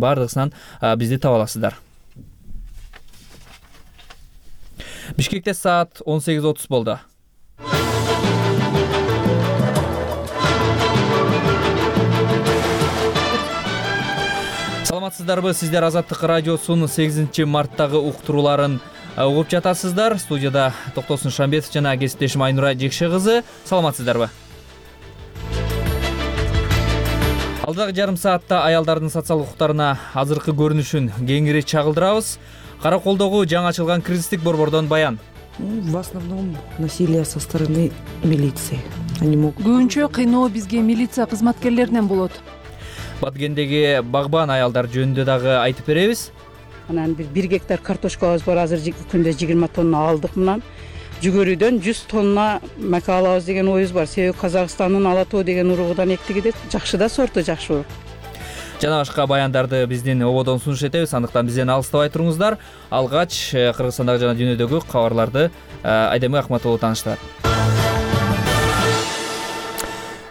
Бардыгысынан бизди таба аласыздар. Бишкекте саат 18:30 болду. Саламатсыздарбы? Сиздер Азаттык радиосунун 8 марттагы уктурууларын угуп жатасыздар. Студияда Токтосун Шамбетов жана кесиптешим Айнура Жекше кызы. Саламатсыздарбы? Алдагы жарым саатта аялдардын социалдык укуктарына азыркы көрүнүшүн кеңири чагылдырабыз. Караколдогу жаңы ачылган кризистик борбордон баян. В основном насилие со стороны милиции. Они могут... Көбүнчө кыйноо бизге милиция кызматкерлеринен болот. Баткендеги багбан аялдар жөнүндө дагы айтып беребиз. Анан 1 гектар картошкабыз бар, азыр күндө 20 тонна алдык. Мынан жүгөрүдөн 100 тонна мака алабыз деген оюбуз бар. Себеби Казакстандын Ала тоо деген уругудан эктигиде жакшы да сорту жакшы урук. Жана башка баяндарды биздин ободон сунуш этебиз. Андыктан бизден алыстабай туруңуздар. Алгач Кыргызстандагы жана дүйнөдөгү кабарларды Айдемир Акматова тааныштырат.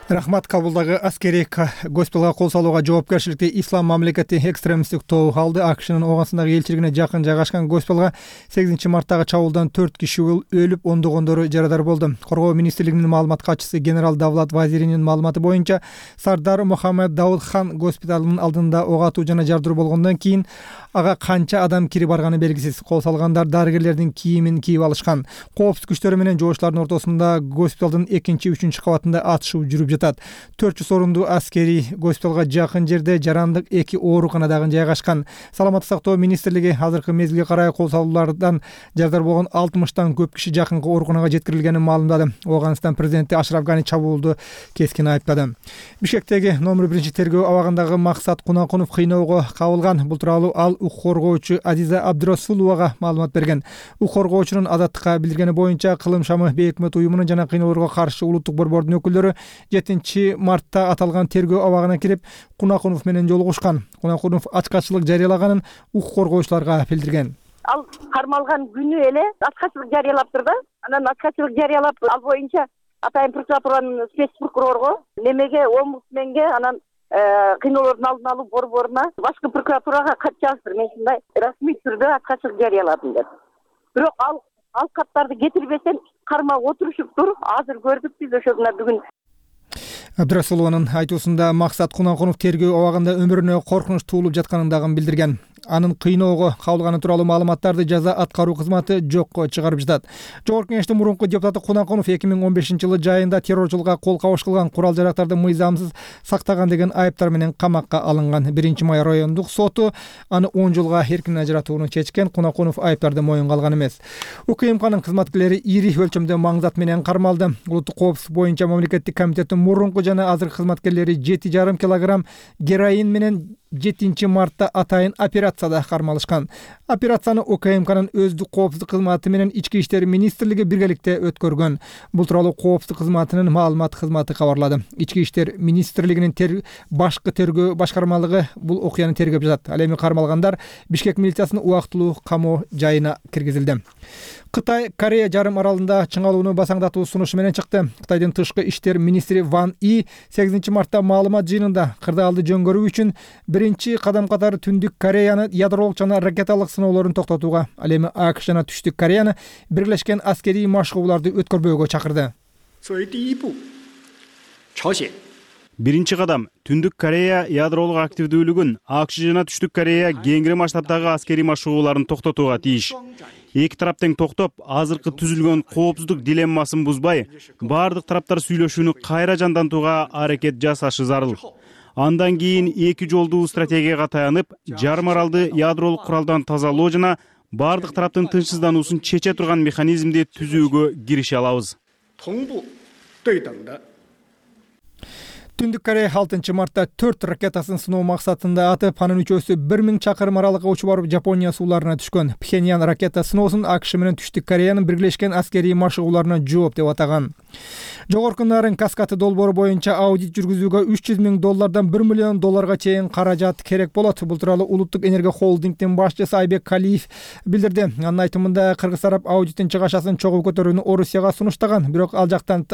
Рахмат. Кабулдагы аскерий госпиталга кол салууга жоопкерчиликти Ислам мамлекети экстремисттик тобу алды. АКШнын Ооганстандагы элчилигине жакын жайгашкан госпиталга 8 марттагы чабуулдан 4 киши өлүп, ондогондору жарадар болду. Коргоо министрлигинин маалымат катчысы генерал Давлат Вазиринин маалыматы боюнча, Сардар Мухаммед Дауд хан госпиталынын алдында ок атуу жана жардыруу болгондон кийин ага канча адам кирип барганы белгисиз. Кол салгандар дарыгерлердин кийимин кийип алышкан. Коопсуздук күчтөрү менен жогуштардын ортосунда госпиталдын 2-3 кабатында атышуу жүрүп жатат. 400 орунду аскерий госпиталга жакын жерде жарандык 2 ооруканадагы жайгашкан. Саламаттык сактоо министрлиги азыркы мезгилге карай кол салуулардан жарадар болгон 60тан көп киши жакынкы ооруканага жеткирилгенин маалымдады. Ооганстан президенти Ашраф Гани чабуулду кескин айыптады. Бишкектеги номер 1 тергөө абагындагы Максат Кунакунов кыйноого кабылган. Бул тууралуу ал укук коргоочу Азиза Абдырасуловага маалымат берген. Укук коргоочунун Азаттыкка билдиргени боюнча, Кылым шамы бейөкмөт уюмунун жана кыйноолорго каршы улуттук борбордун өкүлдөрү 7 мартта аталган тергөө абагына кирип, Кунакунов менен жолугушкан. Кунакунов ачкачылык жарыялаганын укук коргоочуларга билдирген. Ал кармалган күнү эле ачкачылык жарыялаптыр да. Анан ачкачылык жарыялап, ал боюнча Атайын прокуратуранын спецпрокурорго, немеге, омбудсменге, анан кыйноолордун алдын алуу борборуна, башкы прокуратурага кат жаздыр. Мен ушундай расмий түрдө ачкачылык жарыяладым деп. Бирок ал каттарды кетирбесем кармап отурушуптур. Азыр көрдүк биз ошондо бүгүн. Абдырасулованын айтуусунда Максат Кунакунов тергөө абагында өмүрүнө коркунуч туулуп жатканын дагы билдирген. Анын кыйноого кабылганы тууралуу маалыматтарды жаза аткаруу кызматы жокко чыгарып жатат. Жогорку Кеңештин мурунку депутаты Кунакунов 2015-жылы жайында террорчулукка кол кабыш кылган, курал жарактарды мыйзамсыз сактаган деген айыптар менен камакка алынган. 1-май райондук соту аны 10 жылга эркин ажыратууну чечкен. Кунакунов айыптарды моюнга алган эмес. УКМКнын кызматкерлери ири өлчөмдө маңзат менен кармалды. Улуттук коопсуздук боюнча мамлекеттик комитеттин мурунку жана азыркы кызматкерлери 7,5 килограмм героин менен 7 мартта атайын операцияда кармалышкан. Операцияны УКМКнын өздүк коопсуздук кызматы менен Ички иштер министрлиги биргеликте өткөргөн. Бул тууралуу коопсуздук кызматынын маалымат кызматы кабарлады. Ички иштер министрлигинин башкы тергөө башкармалыгы бул окуяны тергеп жатат. Ал эми кармалгандар Бишкек милициясынын убактылуу камоо жайына киргизилди. Кытай Корея жарым аралында чыңалууну басаңдатуу сунушу менен чыкты. Кытайдын тышкы иштер министри Ван И 8 мартта маалымат жыйынында кырдаалды жөнгөрүү үчүн биринчи кадам катары Түндүк Кореяны ядролук жана ракеталык сыноолорун токтотууга, ал эми АКШ жана Түштүк Кореяны бирлешкен аскерий машыгууларды өткөрбөөгө чакырды. Биринчи кадам Түндүк Корея ядролук активдүүлүгүн АКШ жана Түштүк Корея кеңири масштабтагы аскерий машыгууларын токтотууга тийиш. Эки тарап тең токтоп, азыркы түзүлгөн коопсуздук дилеммасын бузбай, бардык тараптар сүйлөшүүнү кайра жандантууга аракет жасашы зарыл. Андан кийин эки жолдуу стратегияга таянып, жарым аралды ядролук куралдан тазалоо жана бардык тараптын тынчсыздануусун чече турган механизмди түзүүгө кирише алабыз. Түндүк Корея 6 мартта 4 ракетасын сыноо максатында атып, анын үчөөсү 1000 чакырым аралыкка учуп барып Жапония сууларына түшкөн. Пхеньян ракета сыноосун АКШ менен Түштүк Кореянын бирлешкен аскерий машыгууларына жооп деп атаган. Жогорку Нарын каскады долбоору боюнча аудит жүргүзүүгө $300 000 $1 миллион чейин каражат керек болот. Бул тууралуу Улуттук энергия холдингдин башчысы Айбек Калиев билдирди. Анын айтымында кыргыз тарап аудиттин чыгашасын чогуу көтөрүүнү Орусияга сунуштаган, бирок ал жактан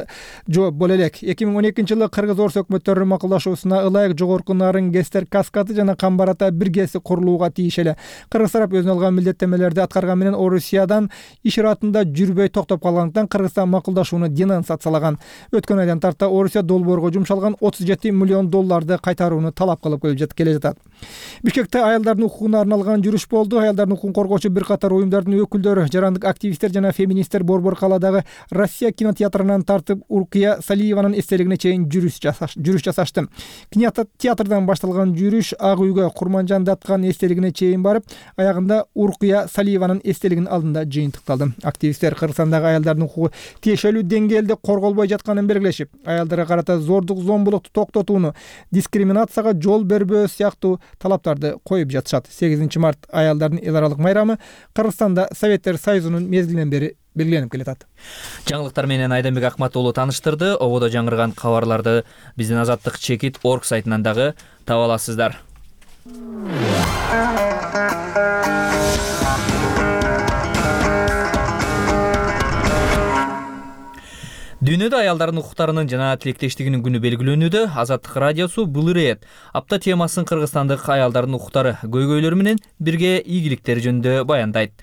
жооп боло элек. 2012-жылы кыргыз орус өкмөттөрүнүн макулдашуусуна ылайык жогорку нарын гэстер каскады жана Камбарата биргеси курулууга тиеш эле. Кыргыз тарап өзүнө алган милдеттенмелерди аткарган менен Орусиядан иш иратында жүрбөй токтоп калгандыктан Кыргызстан макулдашууну денонсациялаган. Өткөн айдан тарта Орусия долбоорго жумшалган $37 миллион кайтарууну талап кылып келе жатат. Бишкекте аялдардын укугуна арналган жүрүш болду. Аялдардын укугун коргоочу бир катар уюмдардын өкүлдөрү, жарандык активисттер жана феминисттер Борбор калаадагы Россия кинотеатрынан тартып Уркия Салиеванын эстелигине чейин жүрүш жасашты. Кинотеатрдан башталган жүрүш Ак үйгө Курманжан Датканын эстелигине чейин барып, аягында Уркия Салиеванын эстелигинин алдында жыйынтыкталды. Активисттер Кыргызстандагы аялдардын укугу тиешелүү деңгээлде корголбой жатканын белгилешип, аялдарга карата зордук зомбулукту токтотууну, дискриминацияга жол бербөө сыяктуу талаптарды коюп жатышат. 8 март аялдардын эл аралык майрамы Кыргызстанда Советтер Союзунун мезгилинен бери белгиленип келатат. Жаңылыктар менен Айданбек Акмат уулу тааныштырды. Ободо жаңырган кабарларды биздин Азаттык чекит орг сайтынан дагы таба аласыздар. Дүйнөдө аялдардын укуктарынын жана тилектештигинин күнү белгилөнүүдө. Азаттык радиосу бул ирет апта темасын кыргызстандык аялдардын укуктары көйгөйлөрү менен бирге ийгиликтери жөнүндө баяндайт.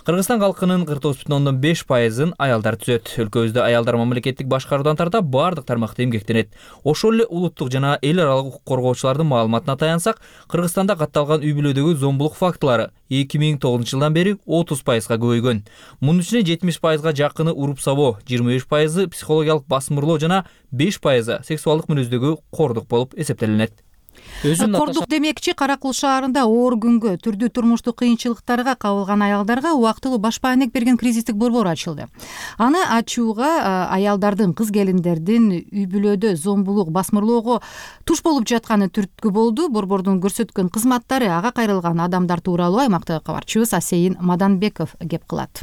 Кыргызстан калкынын 49,5%-ын аялдар түзөт. Өлкөбүздө аялдар мамлекеттик башкаруудан тарта бардык тармакта эмгектенет. Ошол эле улуттук жана эл аралык укук коргоочулардын маалыматына таянсак, Кыргызстанда катталган үй бүлөдөгү зомбулук фактылары 2009 жылдан бери 30%га көбөйгөн. Мунун ичинде 70%га жакыны уруп сабоо, 25% психологиялык басмырлоо жана 5% сексуалдык мүнөздөгү кордук болуп эсептелинет. Кордук демекчи, Каракул шаарында оор күнгө, түрдүү турмуштук кыйынчылыктарга кабылган аялдарга убактылуу баш маанек берген кризистик борбор ачылды. Аны ачууга аялдардын, кыз келиндердин үй бүлөдө зомбулук, басмырлоого туш болуп жатканы түрткү болду. Борбордун көрсөткөн кызматтары ага кайрылган адамдар тууралуу аймактагы кабарчыбыз Асейин Маданбеков кеп кылат.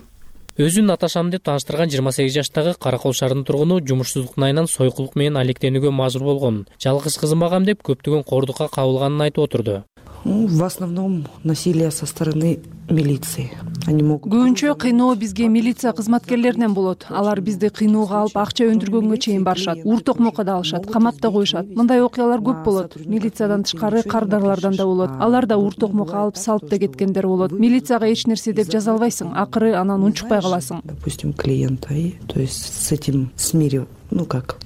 Өзүн аташам деп тааныштырган 28 жаштагы Каракол шаарынын тургуну жумушсуздуктун айынан сойкулук менен алектенүүгө мажбур болгон. Жалгыз кызым багам деп көптөгөн кордукка кабылганын айтып отурду. В основном насилие со стороны милиции. Көбүнчө кыйноо бизге милиция кызматкерлеринен болот. Алар бизди кыйноого алып, акча өндүргөнгө чейин барышат. Ур токмокко да алышат, камап да коюшат. Мындай окуялар көп болот. Милициядан тышкары кардарлардан да болот. Алар да ур токмокко алып салып да кеткендер болот. Милицияга эч нерсе деп жаза албайсың. Акыры анан унчукпай каласың. Допустим, клиента, то есть с этим смирил,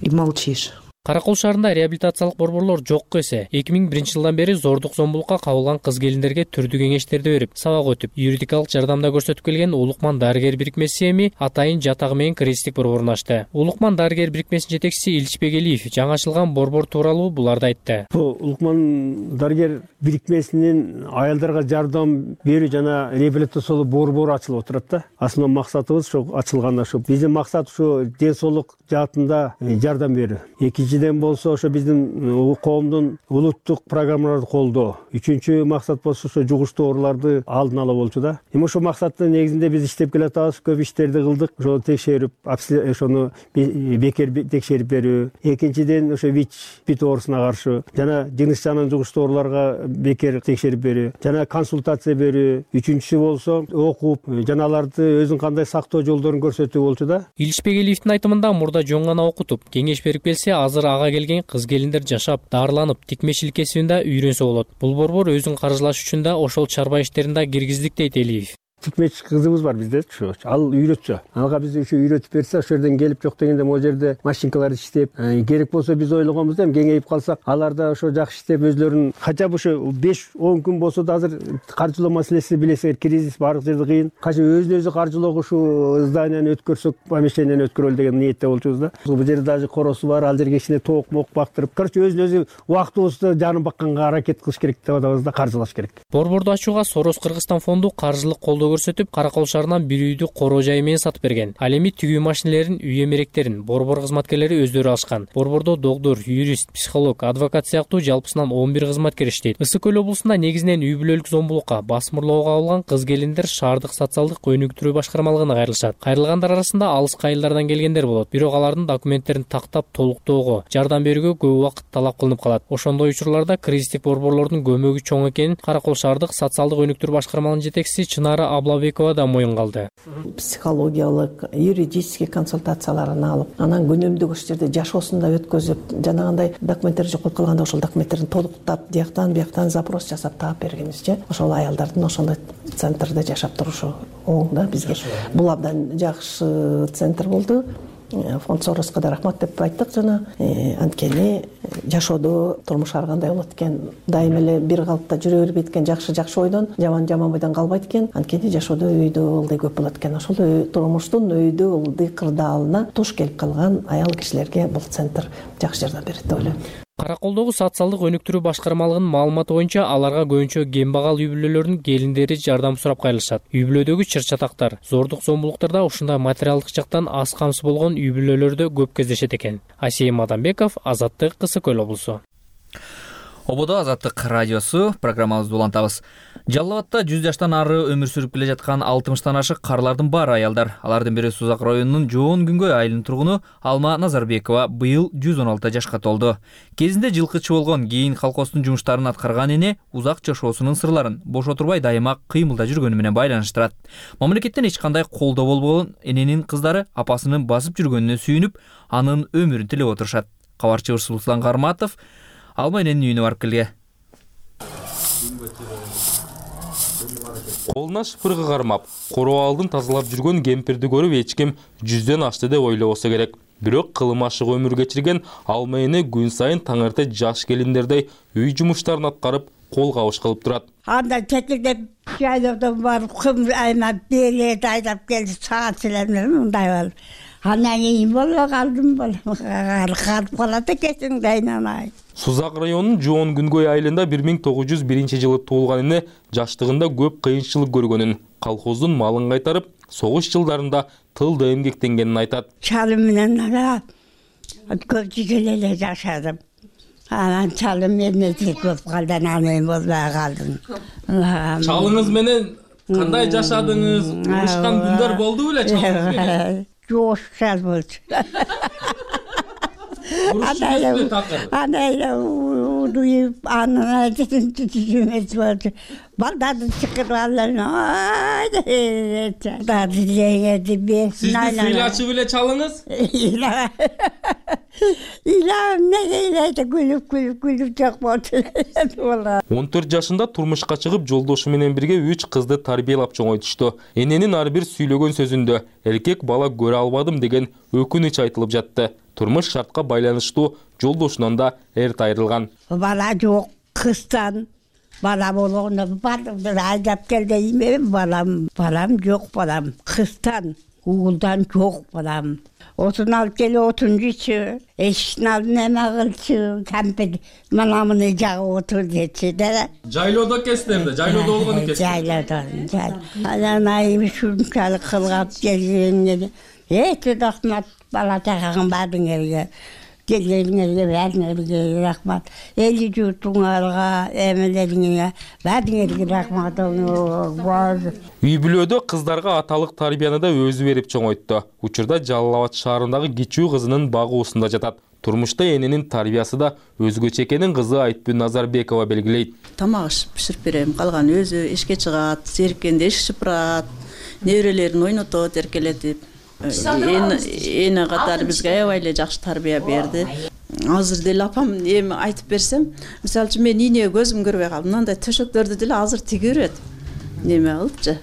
и молчишь. Каракол шаарында реабилитациялык борборлор жокко эсе. 2001 жылдан бери зордук зомбулукка кабылган кыз келиндерге түрдүү кеңештерди берип, сабак өтүп, юридикалык жардамда көрсөтүп келген Улукман дарыгер бирикмеси эми атайын жатагы менен кризистик борборун ачты. Улукман дарыгер бирикмесинин жетекчиси Илич Бегелиев жаңы ачылган борбор тууралуу буларды айтты. Улукман дарыгер бирикмесинин аялдарга жардам берүү жана реабилитациялуу борбору ачылып отурат да. Асыл максатыбыз ошо ачылганда ошо. Биздин максат ошо ден соолук жаатында жардам берүү. Экинчиден болсо ошо биздин коомдун улуттук программаларды колдоо. Үчүнчү максат болсо ошо жугуштуу ооруларды алдын ала болчу да. Эми ошо максаттын негизинде биз иштеп келатабыз, көп иштерди кылдык. Ошо текшерип, ошону бекер текшерип берүү. Экинчиден ошо ВИЧ оорусуна каршы жана жыныс жанын жугуштуу ооруларга бекер текшерип берүү, жана консультация берүү. Үчүнчүсү болсо окуп, жана аларды өзүнүн кандай сактоо жолдорун көрсөтүү болчу да. Илич Бегелиевдин айтымында мурда жөн гана окутуп, кеңеш берип келсе, азыр ага келген кыз келиндер жашап, дарыланып, тикмечилик кесибинде үйрөнсө болот. Бул борбор өзүн каржылаш үчүн да ошол чарба иштерин да киргиздик дейт Элиев. Тикмечи кызыбыз бар бизде, ал үйрөтчү. Ага биз ошо үйрөтүп берсе, ошол жерден келип жок дегенде могу жерде машинкалар иштеп, керек болсо биз ойлогонбуз эми кеңейип калсак, алар да ошо жакшы иштеп өзлөрүн кача ошо 5-10 күн болсо да азыр каржылоо маселеси билесиңер, кризис баардык жерде кыйын. Кача өзүн-өзү каржылоого ушу зданияны өткөрсөк, помещениени өткөрөлү деген ниетте болчубуз да. Бул жерде даже коросу бар, ал жерге кичине тоок-мок бактырып, короче өзүн-өзү убактыбызды жанын бакканга аракет кылыш керек деп атабыз да, каржылаш керек. Борборду ачууга Сорос Кыргызстан фонду каржылык колдоо көрсөтүп, Каракол шаарынан бир үйдү короо жайы менен сатып берген. Ал эми тигүү машинелерин, үй эмеректерин борбор кызматкерлери өздөрү алышкан. Борбордо доктор, юрист, психолог, адвокат сыяктуу жалпысынан 11 кызматкер иштейт. Ысык көл облусунда негизинен үй бүлөлүк зомбулукка, басмырлоого кабылган кыз келиндер шаардык социалдык өнүктүрүү башкармалыгына кайрылышат. Кайрылгандар арасында алыскы айылдардан келгендер болот. Бирок алардын документтерин тактап толуктоого, жардам берүүгө көп убакыт талап кылынып калат. Ошондой учурларда кризистик борборлордун көмөгү чоң экенин Каракол шаардык социалдык өнүктүрүү башкармалыгынын жетекчиси Чынара Аблабекова да моюнга алды. Психологиялык, юридический консультацияларын алып, анан күнөмдүк ошол жерде жашоосунда өткөзүп, жанагындай документтер жоголуп калганда ошол документтерин толуктап, бияктан запрос жасап таап бергенибизче, ошол аялдардын ошондой центрде жашап турушу оң да бизге. Бул абдан жакшы центр болду. Фонд Сороско да рахмат деп айттык жана анткени жашоодо турмуш ар кандай болот экен, дайым эле бир калыпта жүрө бербейт экен, жакшы ойдон, жаман бойдон калбайт экен. Анткени жашоодо өйдө ылдый көп болот экен. Ошол турмуштун өйдө ылдый кырдаалына туш келип калган аял кишилерге бул центр жакшы жардам берет деп ойлойм. Караколдогу социалдык өнүктүрүү башкармалыгынын маалыматы боюнча аларга көбүнчө кембагал үй бүлөлөрүнүн келиндери жардам сурап кайрылышат. Үй бүлөдөгү чыр-чатактар, зордук зомбулуктарда ушундай материалдык жактан аз камсыз болгон үй бүлөлөрдө көп кездешет экен. Асейим Адамбеков, Азаттык, Кысык Көл облусу. Ободо Азаттык радиосу программабызды улантабыз. Жалал Абадта 100 жаштан ары өмүр сүрүп келе жаткан 60-тан ашык карлардын бар аялдар. Алардын бири Сузак районунун Жоон Күнгөй айылынын тургуну Алма Назарбекова быйыл 116 жашка толду. Кезинде жылкычы болгон, кийин колхоздун жумуштарын аткарган эне узак жашоосунун сырларын бош отурбай дайыма кыймылда жүргөнү менен байланыштырат. Мамлекеттен эч кандай колдоо болбогон эненин кыздары апасынын басып жүргөнүнө сүйүнүп, анын өмүрүн тилеп отурушат. Кабарчыбыз Руслан Карматов Алма эненин үйүнө барып келген. Колуна шыпыргы кармап, короо алдын тазалап жүргөн кемпирди көрүп эч ким 100ден ашты деп ойлобосо керек. Бирок кылым ашык өмүр кечирген Алма эне күн сайын таң эрте жаш келиндердей үй жумуштарын аткарып, кол кабыш кылып турат. Анда чекилдеп жайлоодон барып, кым айнап берет айдап келди, саат силемер мындай болуп. Анан кийин боло калдым калып калат экенсиң да айнанай. Сузак районунун Жоон Күнгөй айылында 1901 жылы туулган эне жаштыгында көп кыйынчылык көргөнүн, колхоздун малын кайтарып, согуш жылдарында тылда эмгектенгенин айтат. Чалым менен көп жигел эле жашадым. Анан чалым менен көп калды, анан болбой калдым. Чалыңыз менен кандай жашадыңыз? Урушкан күндөр болду беле чалыңыз менен? Жок, шал болчу. Анайла удуйуп, анан түзүмөз болчу. Балдарды чыкырып алып, балдарды жеңеди берсин. Сизди ыйлачы беле чалыңыз? Ыйлам неге ыйлайт, күлүп жок болчу. 14 жашында турмушка чыгып, жолдошу менен бирге 3 кызды тарбиялап чоңойтушту. Эненин ар бир сүйлөгөн сөзүндө эркек бала көрө албадым деген өкүнүч айтылып жатты. Турмуш шартка байланыштуу жолдошунан да эрт айрылган. Бала жок, кыздан бала болгондо бардым, айдап кел дейм, балам жок, балам кыздан, уулдан жок балам. Отун алып келип отун жүйчү, эшиктин алдына эме кылчу, кампир мына муну жагып отур дечи да. Жайлоодо экенсиздер, жайлоодо болгон экенсиз. Жайлоодо. Анан айым ушунчалык кылгап келгенине рахмат, бала чагаңа баардыгыңарга, келгениңерге баардыгыңарга рахмат. Эли журтуңарга, эмелериңерге баардыгыңарга рахмат. Үй бүлөдө кыздарга аталык тарбияны да өзү берип чоңойтtu. Учурда Жалал Абад шаарындагы кичүү кызынын багуусунда жатат. Турмушта эненин тарбиясы да өзгөчө экенин кызы Айтбү Назарбекова белгилейт. Тамак биширип берем, калган өзү ишке чыгат, зериккенде эшик шыпырат, неберелерин ойнотот, эркелетип. Эне катары бизге аябай эле жакшы тарбия берди. Азыр деле апам эми айтып берсем, мисалы үчүн мен ийне көзүм көрбөй калдым. Мындай төшөктөрдү деле азыр тиге берет. Неме кылчу?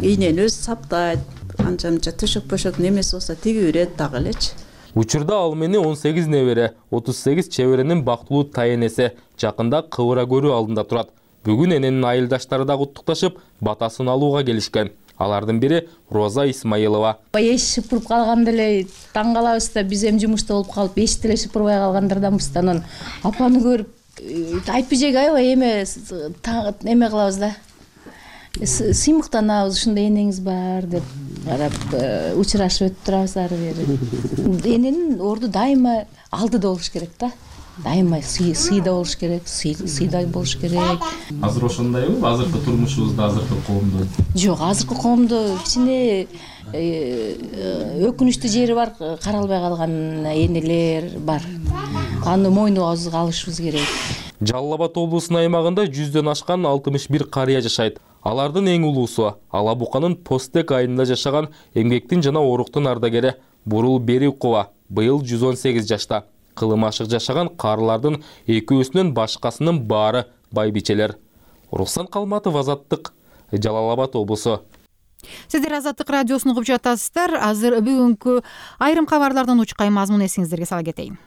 Ийнени өзү саптайт. Анча-мынча төшөк немеси болсо тиге берет дагы элечи. Учурда ал мени 18 небере, 38 чеберенин бактылуу тайенеси жакында кыбыра көрүү алдында турат. Бүгүн эненин айылдаштары да куттукташып, батасын алууга келишкен. Алардын бири Роза Исмаилова. Эшик шыпырып калганда эле таң калабыз да, биз эми жумушта болуп калып, эшик деле шыпырбай калгандарданбыз да. Анан апаны көрүп, айтпай жеге аябай эме кылабыз да. Сыймыктанабыз, ушундай энеңиз бар деп карап, учурашып өтүп турабыз ары бери. Эненин орду дайыма алдыда болуш керек да. Дайыма сыйда болуш керек, сыйдай болуш керек. Азыр ошондойбу? Азыркы турмушубузда, азыркы коомдо? Жок, азыркы коомдо кичине өкүнүчтүү жери бар, каралбай калган энелер бар. Аны мойнубузга алышыбыз керек. Жалал Абад облусунун аймагында 100дөн ашкан 61 карыя жашайт. Алардын эң улуусу Ала Буканын Постек айылында жашаган эмгектин жана оруктун ардагери Бурул Берикова быйыл 118 жашта. Кылым ашык жашаган карылардын экөөсүнөн башкасынын баары байбичелер. Руслан Калматов, Азаттык, Жалал Абад облусу. Сиздер Азаттык радиосун угуп жатасыздар. Азыр бүгүнкү айрым кабарлардан учкай мазмун эсиңиздерге сала кетейин.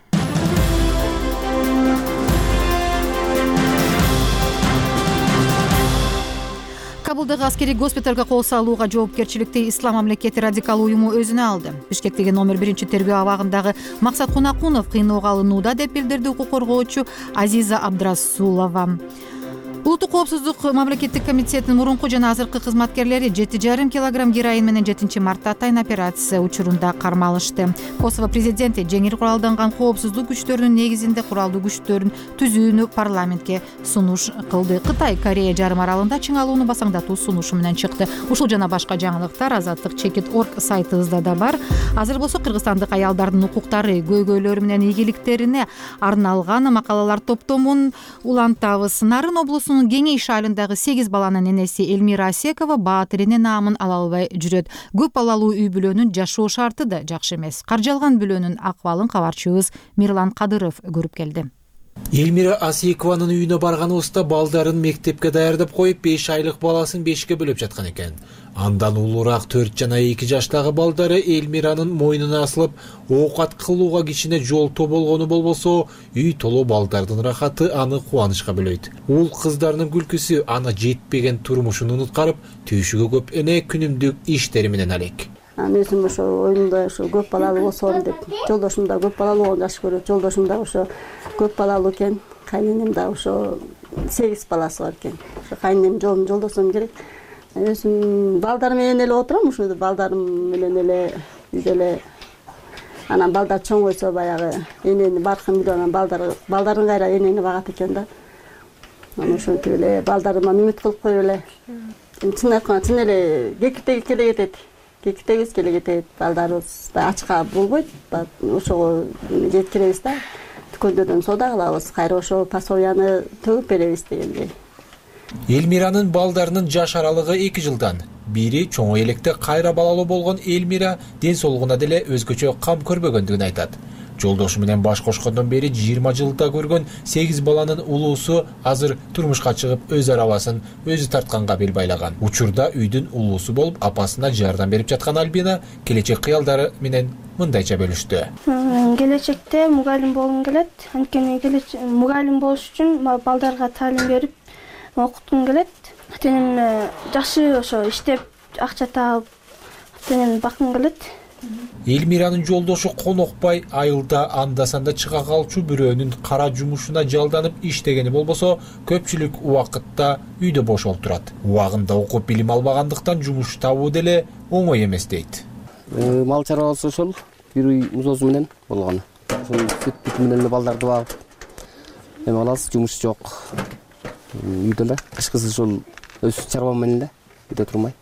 Кабулдагы аскерий госпиталга кол салууга жоопкерчиликти Ислам мамлекети радикал уюму өзүнө алды. Бишкектеги номер 1 тергөө абагындагы Максат Кунакунов кыйноого алынууда деп билдирди укук коргоочу Азиза Абдрасулова. Улуттук коопсуздук мамлекеттик комитетинин мурунку жана азыркы кызматкерлери 7,5 килограмм героин менен 7-мартта атайын операция учурунда кармалышты. Косово президенти жеңил куралданган коопсуздук күчтөрүнүн негизинде куралдуу күчтөрүн түзүүнү парламентке сунуш кылды. Кытай Корея жарым аралында чыңалууну басаңдатуу сунушу менен чыкты. Ушул жана башка жаңылыктар Азаттык.org сайтыбызда да бар. Азыр болсо кыргызстандык аялдардын укуктары, көйгөйлөрү менен ийгиликтерине арналган макалалар топтомун улантабыз. Нарын облусунун Кеңеш айылындагы 8 баланын энеси Элмира Асекова баатирине наамын ала албай жүрөт. Көп балалуу үй бүлөнүн жашоо шарты да жакшы эмес. Каржалган бүлөнүн акыбалын кабарчыбыз Мирлан Кадыров көрүп келди. Элмира Асекованын үйүнө барганыбызда балдарын мектепке даярдап коюп 5 айлык баласын 5ке бөлөп жаткан экен. Андан улуураак 4 жана 2 жаштагы балдары Элмиранын мойнуна асылып, оокат кылууга кичине жолтоо болгону болбосо, үй толо балдардын рахаты аны кубанычка бөлөйт. Ул кыздарынын күлкүсү аны жетпеген турмушун унуткарып, түйшүгө көп эне күнүмдүк иштери менен алек. Өзүм ошо оюмда ошо көп балалуу болсом деп, жолдошум да көп балалуу болгонду жакшы көрөт. Жолдошум да ошо көп балалуу экен. Кайненем да ошо 8 баласы бар экен. Ошо кайненем жолдошум керек. Өзүм балдарым менен эле отурам, ушул балдарым менен эле үйдө эле. Анан балдар чоңойсо баягы энени баркын билип анан балдарын кайра энени багат экен да. Анан ошентип эле балдарыман үмүт кылып коюп эле. Чын айтканда чын эле кекиптеги эле кетет. Кекиптегибиз келе кетет. Балдарыбыз да ачка болбойт. Ошого жеткиребиз да. Дүкөндөрдөн соода кылабыз. Кайра ошо пособияны төгүп беребиз дегендей. Элмиранын балдарынын жаш аралыгы 2 жылдан. Бири чоңой электе кайра балалуу болгон Элмира ден соолугуна деле өзгөчө кам көрбөгөндүгүн айтат. Жолдошу менен баш кошкондон бери 20 жылда көргөн 8 баланын улуусу азыр турмушка чыгып өз арабасын өзү тартканга бел байлаган. Учурда үйдүн улуусу болуп апасына жардам берип жаткан Альбина келечек кыялдары менен мындайча бөлүштү. Келечекте мугалим болгум келет. Анткени мугалим болуш үчүн балдарга таалим берип окуткум келет. Атенем жакшы ошо иштеп акча таап атенем баккым келет. Элмиранын жолдошу Конокбай айылда анда-санда чыга калчу бирөөнүн кара жумушуна жалданып иштегени болбосо, көпчүлүк убакытта үйдө бош олтурат. Убагында окуп билим албагандыктан жумуш табуу деле оңой эмес дейт. Мал чарбасы ошол бир үй музоосу менен болгон. Ошол сүт бүт менен эле балдарды багып эме кылабыз, жумуш жок. Үйдө эле кышкысы ошол өз чарбам менен эле үйдө турмай.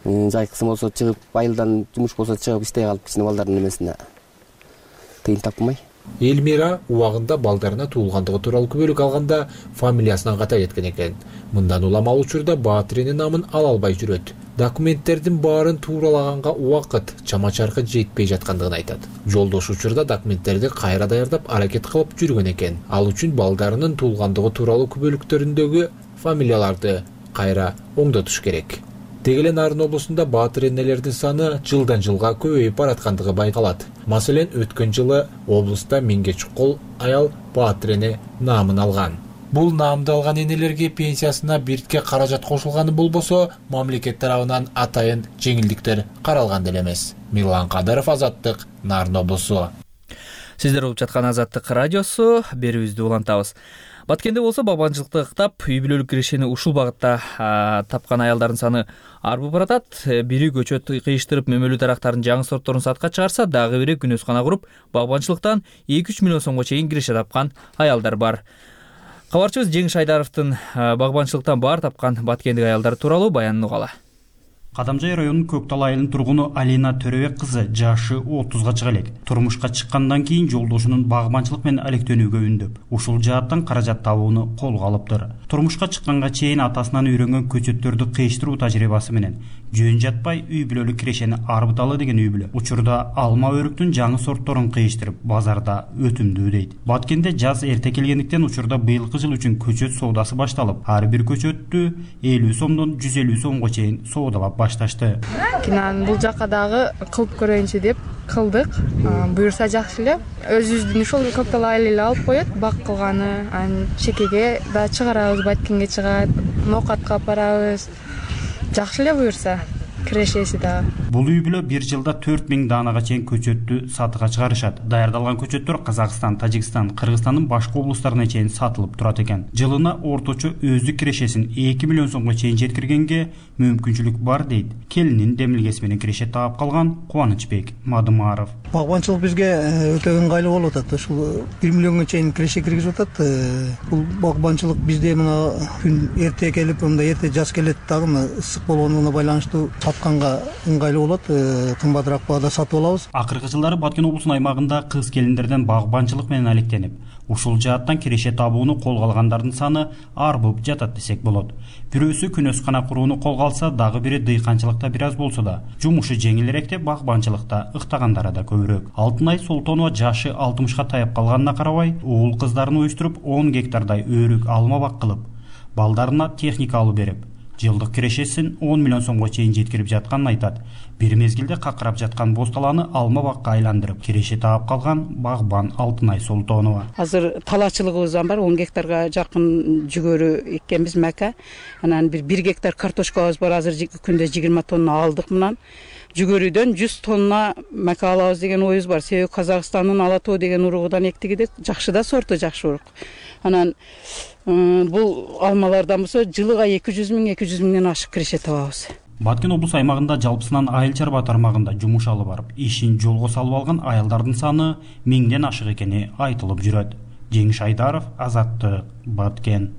Жайкысы болсо чыгып айылдан жумуш болсо чыгып иштей калып кичине балдардын эмесине тыйын тапмай. Элмира убагында балдарына туулгандыгы тууралуу күбөлүк алганда фамилиясынан ката кеткен экен. Мындан улам ал учурда баатиринин намын ала албай жүрөт. Документтердин баарын тууралаганга убакыт, чама-чаркы жетпей жаткандыгын айтат. Жолдош учурда документтерди кайра даярдап аракет кылып жүргөн экен. Ал үчүн балдарынын туулгандыгы тууралуу күбөлүктөрүндөгү фамилияларды кайра оңдотуш керек. Деги эле Нарын облусунда баатыр энелердин саны жылдан жылга көбөйүп бараткандыгы байкалат. Маселен, өткөн жылы облуста 1000ге чукул аял баатыр эне наамын алган. Бул наамды алган энелерге пенсиясына биртке каражат кошулганы болбосо, мамлекет тарабынан атайын жеңилдиктер каралган деле эмес. Мирлан Кадыров, Азаттык, Нарын облусу. Сиздер угуп жаткан Азаттык радиосу, берүүбүздү улантабыз. Баткенде болсо багбанчылыкты ыктап, үй бүлөлүк кирешени ушул багытта тапкан аялдардын саны арбып баратат. Бири көчөт кыйыштырып мөмөлүү дарактардын жаңы сортторун сатка чыгарса, дагы бири күнөзкана куруп, багбанчылыктан 2-3 миллион сомго чейин киреше тапкан аялдар бар. Кабарчыбыз Жеңиш Айдаровдун багбанчылыктан баар тапкан баткендик аялдар тууралуу баянын угалы. Кадамжай районунун Көктал айылынын тургуну Алина Төрөбек кызы жашы 30га чыга элек. Турмушка чыккандан кийин жолдошунун багбанчылык менен алектенүүгө үндөп, ушул жааттан каражат табууну колго алыптыр. турмушка чыкканга чейин атасынан үйрөнгөн көчөттөрдү кыйыштыруу тажрыйбасы менен жөн жатпай үй бүлөлүк кирешени арбыталы деген үй бүлө учурда алма өрүктүн жаңы сортторун кыйыштырып базарда өтүмдүү дейт. Баткенде жаз эрте келгендиктен учурда быйылкы жыл үчүн көчөт соодасы башталып, ар бир көчөттү 50 сомдон 150 сомго чейин соодалап башташты. Бул жака дагы кылып көрөйүнчү деп кылдык. Буюрса жакшы эле. Өзүбүздүн ушул Көктал эле алып коет, бак кылганы, чекеге да чыгарабыз, Баткенге чыгат, ноокатка апарабыз. Жакшы эле буюрса. Кирешеси да. Бул үй бүлө бир жылда 4000 даанага чейин көчөттү сатыга чыгарышат. Даярдалган көчөттөр Казакстан, Тажикстан, Кыргызстандын башка облустарына чейин сатылып турат экен. Жылына орточо өздүк кирешесин 2 миллион сомго чейин жеткиргенге мүмкүнчүлүк бар дейт. Келинин демилгеси менен киреше таап калган Кубанычбек Мадымаров. Багбанчылык бизге өтө ыңгайлуу болуп атат. Ушул 1 миллионго чейин киреше киргизип атат. Бул багбанчылык бизде мына күн эрте келип, мындай эрте жаз келет дагы мына ысык болгонуна байланыштуу сатканга ыңгайлуу болот. Кымбатыраак баада сатып алабыз. Акыркы жылдары Баткен облусунун аймагында кыз келиндерден багбанчылык менен алектенип, ушул жааттан киреше табууну колго алгандардын саны арбып жатат десек болот. Бирөөсү күнөскана курууну колго алса, дагы бири дыйканчылыкта бир аз болсо да, жумушу жеңилирээк деп багбанчылыкта ыктагандары да көбүрөөк. Алтынай Солтонова жашы 60ка таяп калганына карабай, уул кыздарын уюштуруп 10 гектардай өрүк алма бак кылып, балдарына техника алып берип, жылдык кирешесин 10 миллион сомго чейин жеткирип жатканын айтат. Бир мезгилде какырап жаткан боз талааны алма бакка айландырып, киреше таап калган багбан Алтынай Солтонова. Азыр талаачылыгыбыз бар, 10 гектарга жакын жүгөрү эккенбиз мака. Анан 1 гектар картошкабыз бар, азыр күндө 20 тонна алдык мынан. Жүгөрүдөн 100 тонна мака алабыз деген оюбуз бар. Себеби Казакстандын Ала тоо деген уругудан эктигиде жакшы да сорту, жакшы урук. Анан бул алмалардан болсо жылыга 200 миңден ашык киреше табабыз. Баткен облус аймагында жалпысынан айыл чарба тармагында жумуш алып барып, ишин жолго салып алган аялдардын саны 1000ден ашык экени айтылып жүрөт. Жеңиш Айдаров, Азаттык, Баткен.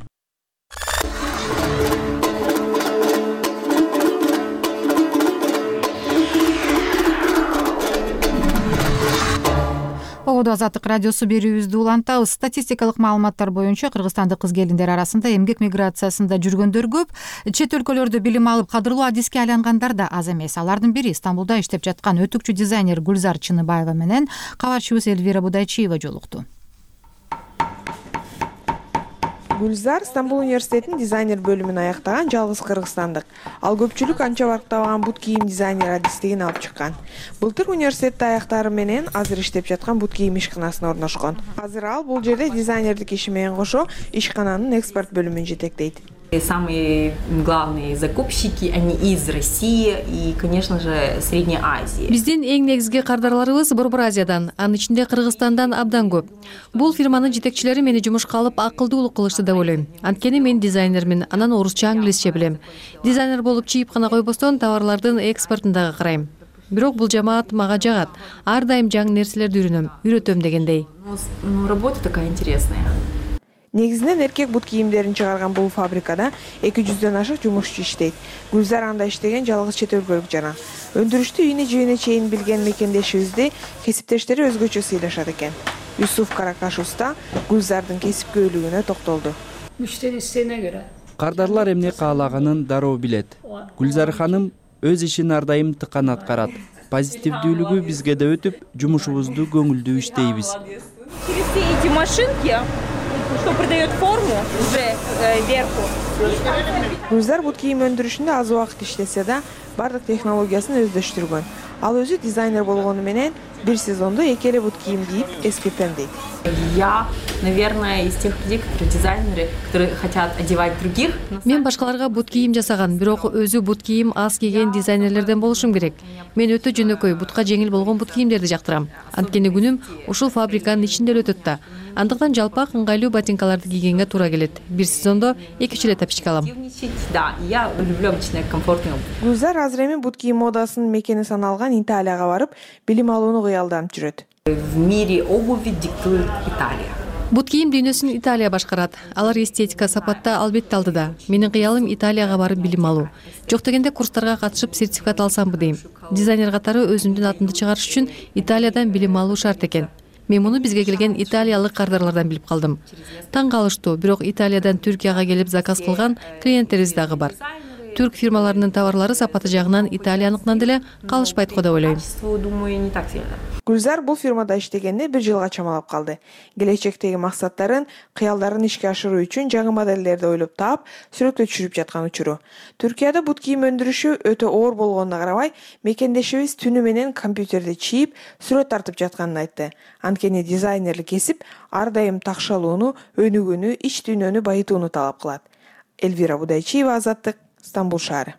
Азаттык радиосу берүүбүздү улантабыз. Статистикалык маалыматтар боюнча кыргызстандык кыз келиндер арасында эмгек миграциясында жүргөндөр көп, чет өлкөлөрдө билим алып кадырлуу адиске айлангандар да аз эмес. Алардын бири Стамбулда иштеп жаткан өтүкчү дизайнер Гүлзар Чыныбаева менен кабарчыбыз Элвира Будайчиева жолукту. Гүлзар Стамбул университетинин дизайнер бөлүмүн аяктаган жалгыз кыргызстандык. Ал көпчүлүк анча барктабаган бут кийим дизайнер адистигин алып чыккан. Былтыр университетте аяктары менен азыр иштеп жаткан бут кийим ишканасына орношкон. Азыр ал бул жерде дизайнердик иши менен кошо ишкананын экспорт бөлүмүн жетектейт. Самые главные закупщики, они из России и, конечно же, Средней Азии. Биздин эң негизги кардарларыбыз Борбор Азиядан, анын ичинде Кыргызстандан абдан көп. Бул фирманын жетекчилери мени жумушка алып акылдуулук кылышты деп ойлойм. Анткени мен дизайнермин, анан орусча, англисче билем. Дизайнер болуп чийип гана койбостон товарлардын экспортун дагы карайм. Бирок бул жамаат мага жагат. Ар дайым жаңы нерселерди үйрөтөм дегендей. Работа такая интересная. Негизинен эркек бут кийимдерин чыгарган бул фабрикада 200дөн ашык жумушчу иштейт. Гүлзар анда иштеген жалгыз чет өлкөлүк жана. Өндүрүштү үйүнө жибине чейин билген мекендешибизди кесиптештери өзгөчө сыйлашат экен. Юсуф Каракаш уста Гүлзардын кесипкөйлүгүнө токтолду. Müşteri isteğine göre. Кардарлар эмне каалаганын дароо билет. Гүлзар ханым өз ишин ар дайым тыкан аткарат. Позитивдүүлүгү бизге да өтүп, жумушубузду көңүлдүү иштейбиз. Через все эти машинки, что придает форму уже верху. Гүлзар бут кийим өндүрүшүндө аз убакыт иштесе да, бардык технологиясын өздөштүргөн. Ал өзү дизайнер болгону менен бир сезондо эки эле бут кийим кийип эскертем дейт. Я, наверное, из тех людей, которые дизайнеры, которые хотят одевать других. Мен башкаларга бут кийим жасаган, бирок өзү бут кийим аз кийген дизайнерлерден болушум керек. Мен өтө жөнөкөй, бутка жеңил болгон бут кийимдерди жактырам. Анткени күнүм ушул фабриканын ичинде эле өтөт да. Андыктан жалпак ыңгайлуу ботинкаларды кийгенге туура келет. Бир сезондо 2-3 эле тапочка алам. Да, я люблю обычно комфортную. Гүлзар азыр эми бут кийим модасынын мекени саналган Италияга барып, билим алууну кыялданып жүрөт. В мире обуви диктует Италия. Бут кийим дүйнөсүн Италия башкарат. Алар эстетика сапатта албетте алдыда. Менин кыялым Италияга барып билим алуу. Жок дегенде курстарга катышып сертификат алсамбы дейм. Дизайнер катары өзүмдүн атымды чыгарыш үчүн Италиядан билим алуу шарт экен. Мен муну бизге келген италиялык кардарлардан билип калдым. Таң калыштуу, бирок Италиядан Түркияга келип заказ кылган клиенттерибиз дагы бар. Түрк фирмаларынын товарлары сапаты жагынан италияныкынан деле калышпайт го деп ойлойм. Гүлзар бул фирмада иштегенде 1 жылга чамалап калды. Келечектеги максаттарын, кыялдарын ишке ашыруу үчүн жаңы моделдерди ойлоп таап, сүрөткө түшүрүп жаткан учуру. Түркияда бут кийим өндүрүшү өтө оор болгонуна карабай, мекендешибиз түнү менен компьютерди чийип, сүрөт тартып жатканын айтты. Анткени дизайнерлик кесип ар дайым такшалууну, өнүгүүнү, ич дүйнөнү байытууну талап кылат. Элвира Будайчиева, Азаттык, Стамбул шаары.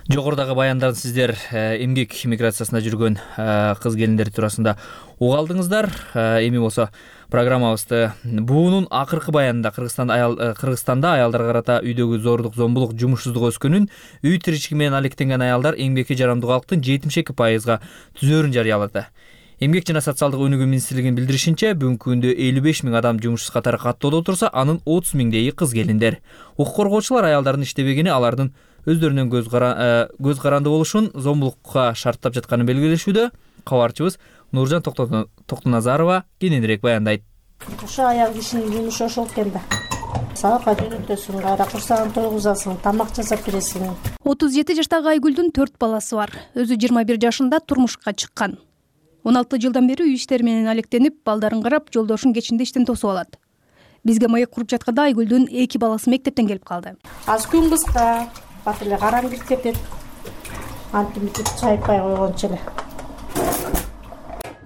Жогорудагы баяндарды сиздер эмгек миграциясында жүргөн кыз келиндер туурасында уга алдыңыздар. Эми болсо программабызды буунун акыркы баянында Кыргызстанда аялдарга карата үйдөгү зордук, зомбулук, жумушсуздук өскөнүн, үй тиричилиги менен алектенген аялдар эмгекке жарамдуу калктын 72% түзөөрүн жарыялады. Эмгек жана социалдык өнүгүү министрлигинин билдиришинче, бүгүнкү күндө 55 000 адам жумушсуз катары каттоодо отурса, анын 30 000 кыз келиндер. Укук коргоочулар аялдардын иштебегени алардын өздөрүнүн көз каранды болушун, зомбулукка шарттап жатканын белгилешүүдө. Кабарчыбыз Нуржан Токтоназарова кененирээк баяндайт. Ошо аял кишинин жумушу ошол экен да. Сабакка жөнөтөсүң, кайра курсагын тойгузасың, тамак жасап бересиң. 37 жаштагы Айгүлдүн 4 баласы бар. Өзү 21 жашында турмушка чыккан. 16 жылдан бери үй иштери менен алектенип, балдарын карап, жолдошун кечинде иштен тосуп алат. Бизге маек куруп жатканда Айгүлдүн 2 баласы мектептен келип калды. Аз күн кыска, бат эле караң кирип кетет. Антимитип чайпай койгончу эле.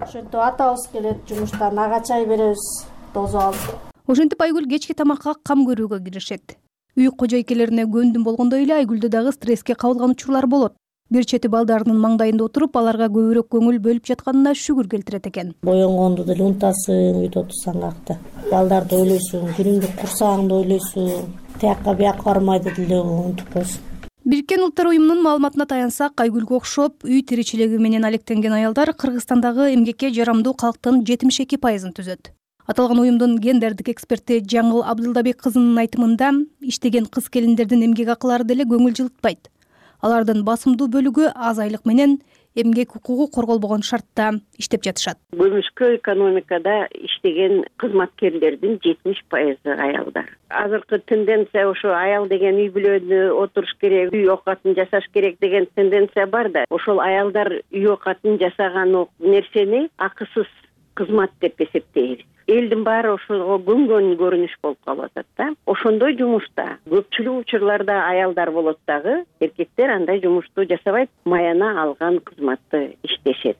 Ошентип атабыз келет жумуштан, ага чай беребиз, тосуп алып. Ошентип Айгүл кечки тамакка кам көрүүгө киришет. Үй кожойкелерине көндүм болгондой эле Айгүлдү дагы стресске кабылган учурлар болот. Бир чети балдарынын маңдайында отуруп, аларга көбүрөөк көңүл бөлүп жатканына шүгүр келтирет экен. Боенгонду деле унутасың, үйдө отурсаң акта. Балдарды ойлойсуң, күнүмдүк курсагыңды ойлойсуң. Тиякка бияка бармайды деле унутуп коесуң. Бириккен Улуттар уюмунун маалыматына таянсак, Айгүлгө окшоп үй тиричилиги менен алектенген аялдар Кыргызстандагы эмгекке жарамдуу калктын 72% түзөт. Аталган уюмдун гендердик эксперти Жаңыл Абдылдабек кызынын айтымында, иштеген кыз келиндердин эмгек акылары деле көңүл жылытпайт. Алардын басымдуу бөлүгү аз айлык менен эмгек укугу корголбогон шартта иштеп жатышат. Көмүшкө экономикада иштеген кызматкерлердин 70% аялдар. Азыркы тенденция ошо аял деген үй бүлөнү отуруш керек, үй оокатын жасаш керек деген тенденция бар да. Ошол аялдар үй оокатын жасаган нерсени акысыз кызмат деп эсептейбиз. Элдин баары ошого көнгөн көрүнүш болуп калып атат да. Ошондой жумушта көпчүлүк учурларда аялдар болот дагы, эркектер андай жумушту жасабайт, маяна алган кызматты иштешет.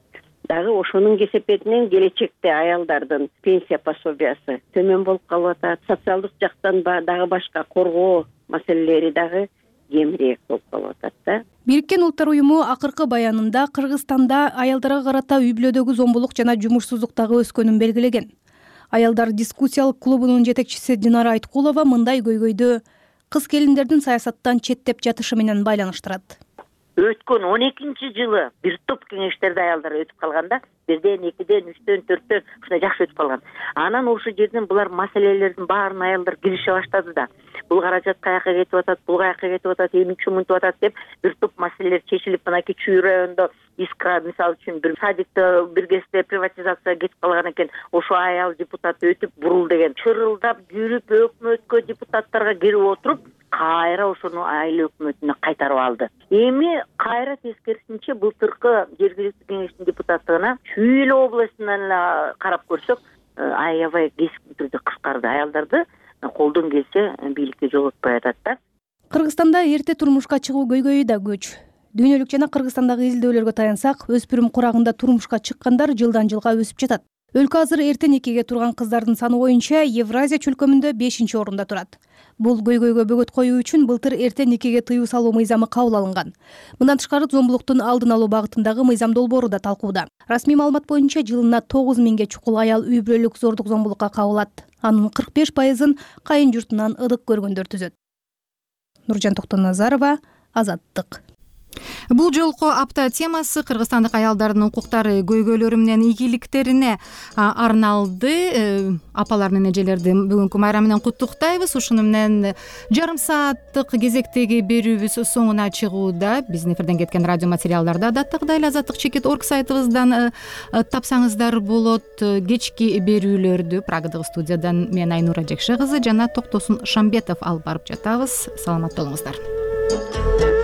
Дагы ошонун кесепетинен келечекте аялдардын пенсия пособиясы төмөн болуп калып атат. Социалдык жактан дагы башка коргоо маселелери дагы кемирээк болуп калып атат да. Бириккен Улуттар уюму акыркы баянында Кыргызстанда аялдарга карата үй бүлөдөгү зомбулук жана жумушсуздук дагы өскөнүн белгилеген. Аялдар дискуссиялык клубунун жетекчиси Динара Айткулова мындай көйгөйдү кыз келиндердин саясаттан четтеп жатышы менен байланыштырат. Өткөн 12-жылы бир топ кеңештерде аялдар өтүп калганда, 1ден, 2ден, 3дөн, 4дөн ушундай жакшы өтүп калган. Анан ошол жерден булар маселелердин баарын аялдар кирише баштады да. Бул каражат каяка кетип атат, бул каяка кетип атат, эмичи мынтип атат деп бир топ маселелер чечилип, мынакей Чүй районунда Искра мисалы үчүн бир садикти бир кезде приватизацияга кетип калган экен. Ошо аял депутат өтүп бурул деген. Чырылдап жүрүп өкмөткө депутаттарга кирип отуруп, кайра ошону айыл өкмөтүнө кайтарып алды. Эми кайра тескерисинче былтыркы жергиликтүү кеңештин депутаттыгына Чүй областынан карап көрсөк, аябай кескин түрдө кыскарды. Аялдарды колдон келсе бийликке жолотпой атат да. Кыргызстанда эрте турмушка чыгуу көйгөйү да көч. Дүйнөлүк жана Кыргызстандагы изилдөөлөргө таянсак, өспүрүм курагында турмушка чыккандар жылдан жылга өсүп жатат. Өлкө азыр эрте некеге турган кыздардын саны боюнча Евразия чөлкөмүндө 5-орунда турат. Бул көйгөйгө бөгөт коюу үчүн былтыр эрте некеге тыюу салуу мыйзамы кабыл алынган. Мындан тышкары зомбулуктун алдын алуу багытындагы мыйзам долбоору да талкууда. Расмий маалымат боюнча жылына 9000 чукул аял үй бүлөлүк зордук зомбулукка кабылат. Анын 45%-ын кайын журтунан ыдык көргөндөр түзөт. Нуржан Токтоназарова, Азаттык. Бул жолку апта темасы кыргызстандык аялдардын укуктары, көйгөйлөрү менен ийгиликтерине арналды. Апалар менен эжелерди бүгүнкү майрам менен куттуктайбыз. Ушуну менен жарым сааттык кезектеги берүүбүз соңуна чыгууда. Биздин эфирден кеткен радио материалдарды адаттагыдай эле azatlyk.org сайтыбыздан тапсаңыздар болот. Кечки берүүлөрдү Прагадагы студиядан мен Айнура Жекше кызы жана Токтосун Шамбетов алып барып жатабыз. Саламатта болуңуздар.